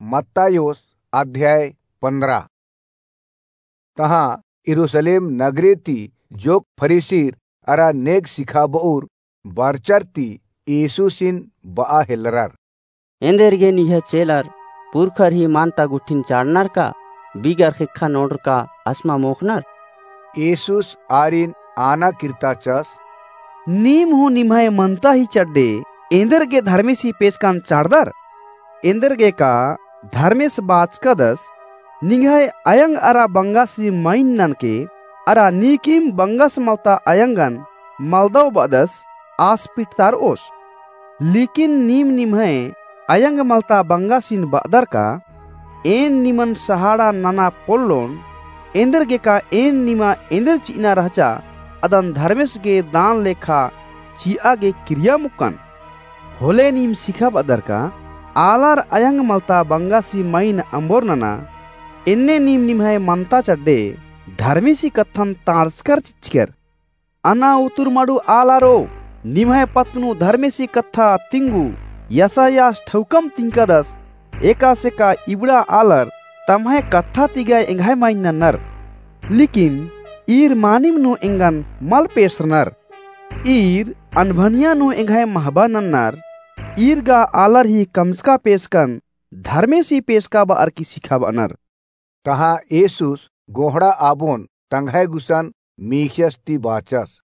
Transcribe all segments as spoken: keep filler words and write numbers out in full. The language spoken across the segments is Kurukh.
मत्तायोस अध्याय पन्द्रह। तहाँ यरूसलेम नगरे ती जोक फरीसिर अरा नेग सिखाबउर बरचर ती येसुसिन बआ हेलरर। एन्देरगे निंग्है चेलर पुरखर ही मानता गुट्ठिन चाड़नर का बिगर ख़ेक्खा नोड़र का असमा मोख़नर? येसुस आरिन आना किर्ताचस। नीम हूँ निम्है मनता ही चड्डे एन्देरगे धर्मेसी पेसकन चाड़दर? एन्देरगे का धर्मेस बाचकदस, निंग्है अयंग अरा बंगासी मइन ननके, अरा नीकिम बंगस मलता अयंगन मलदव बअदस आस पिटतारओस। लेकिन नीम निम्है अयंग मलता बंगासिन बअदर का, एन निमन सहाड़ा नना पोल्लोन, एन्देरगे का एन निमा एन्देर चिअना रहचा, अदन धर्मेस गे दान लेखा चिआ गे किरिया मुक्कन। होले नीम सिखाबअदर का, आलर अयंग मलता बंगासी मइन अम्बोर नना, एन्ने नीम निम्है मनता चड्डे धर्मेसी कत्थन ताड़चकर चिच्चकर। अना उतुर मड़ू आलारो, निम्है पत्त नू धर्मेसी कत्था तिंगू, यसायास ठौकम तिंकदस, एकासे का इबड़ा आलर तम्है कत्था ती गा एंग्है मइन नन्नर, लेकिन ईर मानिम नू एंगन मल पेसरनर। ईर अनभनिया नू एंग्है महबा नन्नर, ईर गा आलर ही कमचका पेसकन धर्मेसी पेसका बअर की सिखाबअनर। तहाँ येसुस गोहड़ा आबोन तंग्है गुसन मीख़ियस ती बाचस।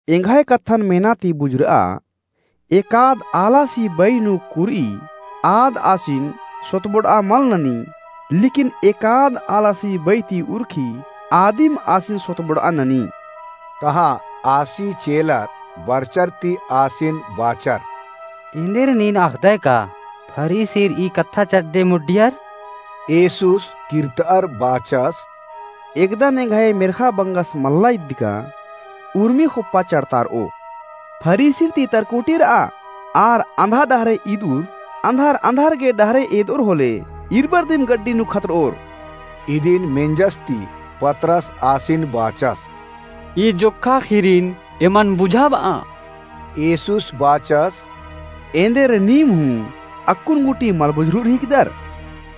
एंग्है कत्थन मेना ती बुझुरआ, एकाद आलासी बई नू कुरई आद आसिन सोतबोड़आ मल ननी, लेकिन एकाद आलासी बई ती उरखी आदिम आसिन सोतबोड़आ ननी। तहाँ आसी चेलर बरचर ती आसिन बाचर। एन्देर नीन अख़दय का फरीसिर ई कत्था चड्डे मुड्डियर? येसुस किर्तअर बाचस। एकदन एंग्है मेर्ख़ा बंगस मल्ला इद्दका उर्मी ख़ोप्पा चड़तारओ। फरीसिर ती तरकोटिरआ, आर अंधा डहरे इदउर, अंधार अंधार गे डहरे एदओर होले, इरबर दिम गड्डी नू खतरओर। इदिन मेंजस ती पतरस आसिन बाचस। ई जोक्खा ख़ीरिन एमन बुझाबआ। येसुस बाचस। एन्देर नीम हूँ अक्कुन गूटी मल बुझुरर हिकदर?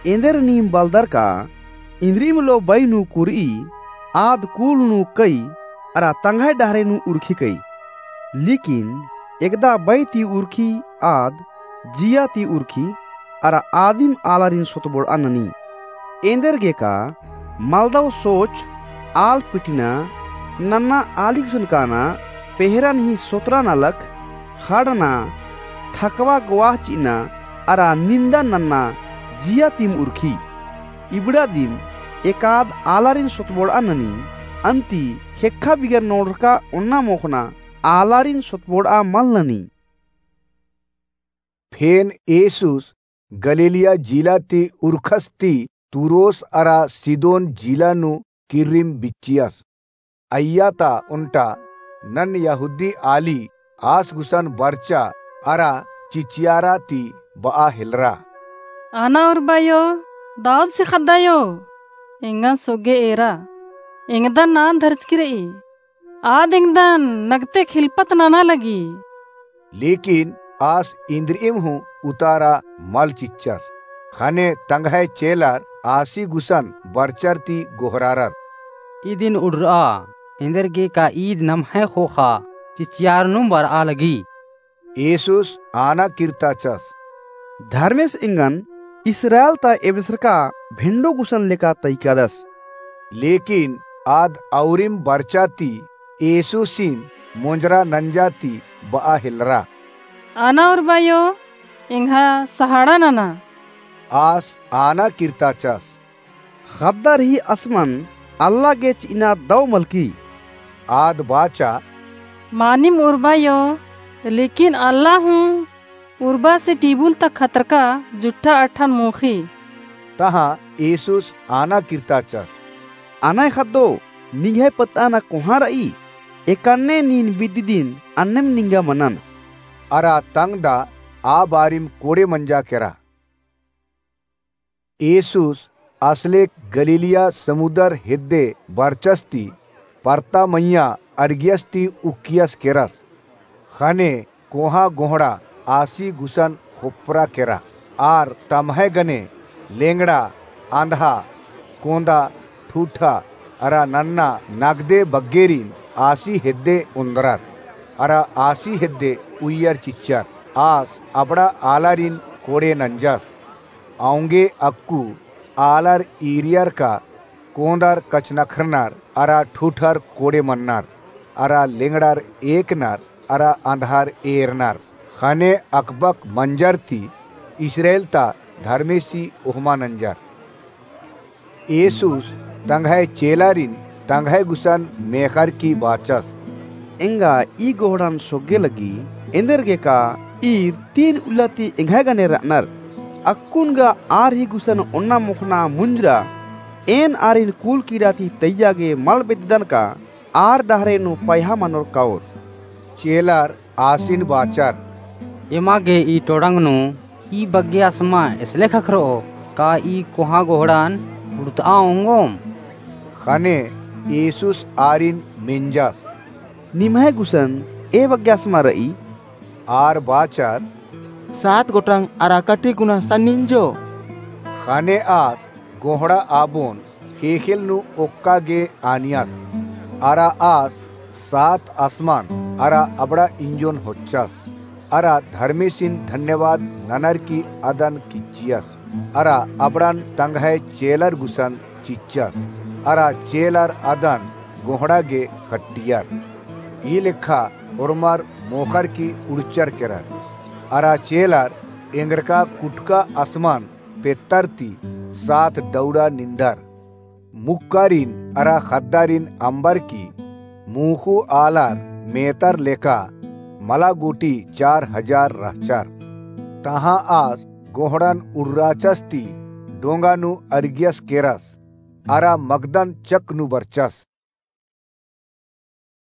एन्देर नीम बलदर का, इन्द्रिम लो बई नू कुरई, आद कूल नू कई, अरा तंग्है डहरे नू उरखी कई। लेकिन एकदा बई ती उरखी आद जिया ती उरखी, अरा आदिम आलारिन सोतबोड़आ ननी। एन्देरगे का मलदव सोच, आल पिटिना, नन्ना आली गुसन काना, पेहरन ही सोतरा नलख, ख़ड़ना, थकवा गवाह चिअना, अरा निन्दा नन्ना जिया तिम उरखी। इबड़ा दिम एकाद आलारिन सोतबोड़आ ननी, अन्ती ख़ेक्खा बिगर नोड़रका ओन्ना मोख़ना आलारिन सोतबोड़आ मल ननी। फेन येसुस गलीलिया जिला ती उरखस ती तुरोस अरा सीदोन जिला नू किर्रिम बिच्चियस। अइय्या ता ओन्टा नन्ना यहूदी आली आस गुसन बरचा अरा चिचियारा ती बआ हेलरा। आना उर्बायो, दाऊद से ख़द्दायो, एंगन सोगे एरा, एंगदन नान धरचकी रई। आद एंगदन नगते खिलपत नना लगी। लेकिन आस इन्द्रिइम हूँ उतारा मल चिच्चस। ख़ने तंग्है चेलर आसी गुसन बरचर ती गोहरारर। इदिन उड़रआ, एन्देरगे का ईद नम्है ख़ोख़ा चिचियारनुम बरआ लगी। येसुस आना किर्ताचस। धर्मेस एंगन इस्राएल ता एबसरका भेंडो गुसन लेका तइकादस। लेकिन आद औरिम बरचा ती येसुसिन मोंजरा नंजा ती बआ हेलरा। आना उर्बायो, एंग्हा सहाड़ा नना। आस आना किर्ताचस। ख़द्दर ही असमन अल्ला गे चिअना दव मलकी। आद बाचा। मानिम उर्बायो, लेकिन अल्ला हूँ उर्बासे टिबुल ता खतरका जुट्ठा अट्ठन मोख़ी। तहाँ येसुस आना किर्ताचस। अनय ख़द्दो, निंग्है पत्तअना कोहाँ रई, एकन्ने नीन बिद्दी दिन अन्नेम निंगा मनन। अरा तंगदा आ बारिम कोड़े मंजा केरा। येसुस असले गलीलिया समुदर हेद्दे बरचस ती परता मइय्याँ अरगियस ती उक्कियस केरस। ख़ने कोहाँ गोहड़ा आसी गुसन ख़ोप्परा केरा। आर तम्है गने लेंगड़ा, अंधा, कोंदा, ठूठा, अरा नन्ना नगदे बग्गेरिन आसी हेद्दे ओन्द्रर, अरा आसी हेद्दे उइयर चिच्चर। आस अबड़ा आलारिन कोड़े नंजस। औंगे अक्कु आलर ईरियर का कोंदर कछनखरनर, अरा ठूठर कोड़े मन्नर, अरा लेंगड़र एकनर, अरा अंधर एरनर। ख़ने अकबक मंजर ती इस्राएल ता धर्मेसी ओहमा नंजर। येसुस तंग्है चेलारिन तंग्है गुसन मेख़र की बाचस। एंगा ई गोहड़न सोग्गे लगी, एन्देरगे का ईर तीन उल्ला ती एंग्है गने र'अनर। अक्कुन गा आर ही गुसन ओन्ना मोख़ना मुंजरा, एन आरिन कूल कीड़ा ती तैय्या गे मल बेद्ददन का आर डहरे नू पयहा मनोर काओर। चेलर आसिन बाचर। एमा गे ई टोड़ंग नू ई बग्गे असमा एसले ख़क्खर'ओ, का ई कोहाँ गोहड़न उड़त'आ ओंगोम? ख़ने येसुस आरिन मेंजस। निम्है गुसन ए बग्गे असमा र'ई? आर बाचर। सात गोटंग अरा कटी गुना सन्निंजो। ख़ने आस गोहड़ा आबोन ख़ेख़ेल नू ओक्का गे आनियस। अरा आस सात असमन अरा अबड़ा इंजोन होच्चस। अरा धर्मेसिन धन्यवाद ननर की अदन किच्चियस। अरा अबड़न तंग्है चेलर गुसन चिच्चस। अरा चेलर अदन गोहड़ा गे ख़ट्टियर। ई लेखा ओर्मर मोख़र की उड़चर केरर। अरा चेलर एंगरका कुटका असमन पेत्तर ती सात डौड़ा निंदर। मुक्कारिन अरा ख़द्दारिन अम्बर की मूख़ू आलर मेतर लेका मला गूटी चार हजार रहचर। तहाँ आस गोहड़न उर्राचस ती डोंगा नू अर्गियस केरस। अरा मगदन चक नू बरचस।